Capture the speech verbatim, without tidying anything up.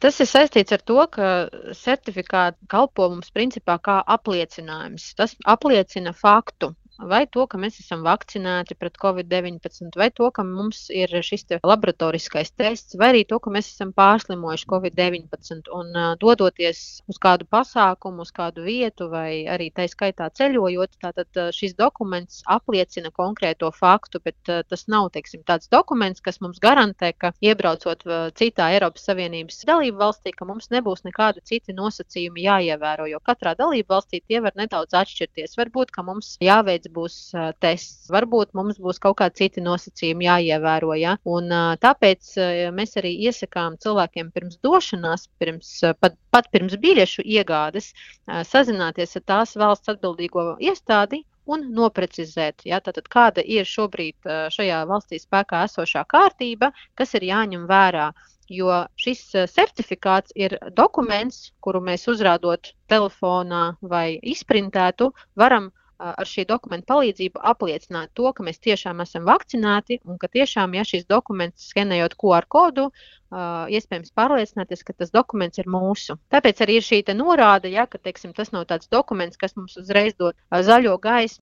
Tas ir saistīts ar to, ka certifikāti kalpo mums principā kā apliecinājums. Tas apliecina faktu. Vai to, ka mēs esam vakcinēti pret covid deviņpadsmit, vai to, ka mums ir šis te laboratoriskais tests, vai arī to, ka mēs esam pārslimojuši covid deviņpadsmit. Un uh, dodoties uz kādu pasākumu, uz kādu vietu, vai arī tai skaitā ceļojot, tātad uh, šis dokuments apliecina konkrēto faktu, bet uh, tas nav, teiksim, tāds dokuments, kas mums garantē, ka iebraucot uh, citā Eiropas Savienības dalību valstī, ka mums nebūs nekādi citi nosacījumi jāievēro, jo katrā dalību valstī tie var nedaudz atšķirties. Varbūt, ka mums jāveic būs uh, tests. Varbūt mums būs kaut kādi citi nosacījumi jāievēro, ja? Un uh, tāpēc uh, mēs arī iesakām cilvēkiem pirms došanās, pirms, uh, pat, pat pirms biļešu iegādes, uh, sazināties ar tās valsts atbildīgo iestādi un noprecizēt, ja? Tātad kāda ir šobrīd uh, šajā valstī spēkā esošā kārtība, kas ir jāņem vērā. Jo šis uh, certifikāts ir dokuments, kuru mēs uzrādot telefonā vai izprintētu, varam ar šī dokumenta palīdzību apliecināt to, ka mēs tiešām esam vakcinēti un ka tiešām, ja šis dokuments skenējot Q R kodu, uh, iespējams pārliecināties, ka tas dokuments ir mūsu. Tāpēc arī ir šī te norāde, ja, ka, teiksim, tas nav tāds dokuments, kas mums uzreiz dod uh, zaļo gaismu